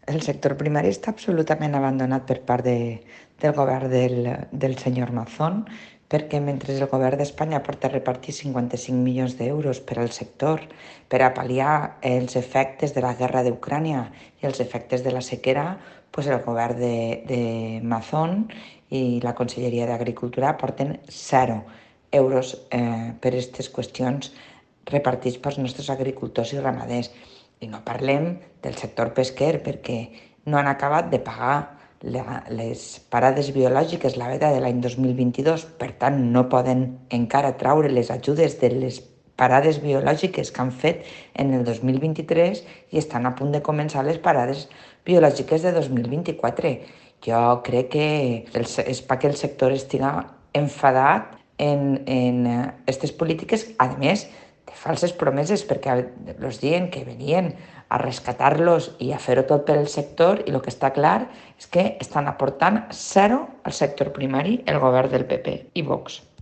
El sector primari està absolutament abandonat per part del govern del senyor Mazón, perquè mentre el govern d'Espanya porta a repartir 55 milions d'euros per al sector per a pal·liar els efectes de la guerra d'Ucrània i els efectes de la sequera, pues el govern de Mazón i la Conselleria d'Agricultura porten 0 euros per aquestes qüestions repartits pels nostres agricultors i ramaders. I no parlem del sector pesquer perquè no han acabat de pagar les parades biològiques la veda de l'any 2022, per tant no poden encara traure les ajudes de les parades biològiques que han fet en el 2023 i estan a punt de començar les parades biològiques de 2024. Jo crec que és perquè el sector estiga enfadat en aquestes polítiques, a més de falses promeses, perquè els diuen que venien a rescatar-los i a fer-ho tot per al sector, i el que està clar és que estan aportant 0 al sector primari el govern del PP i Vox.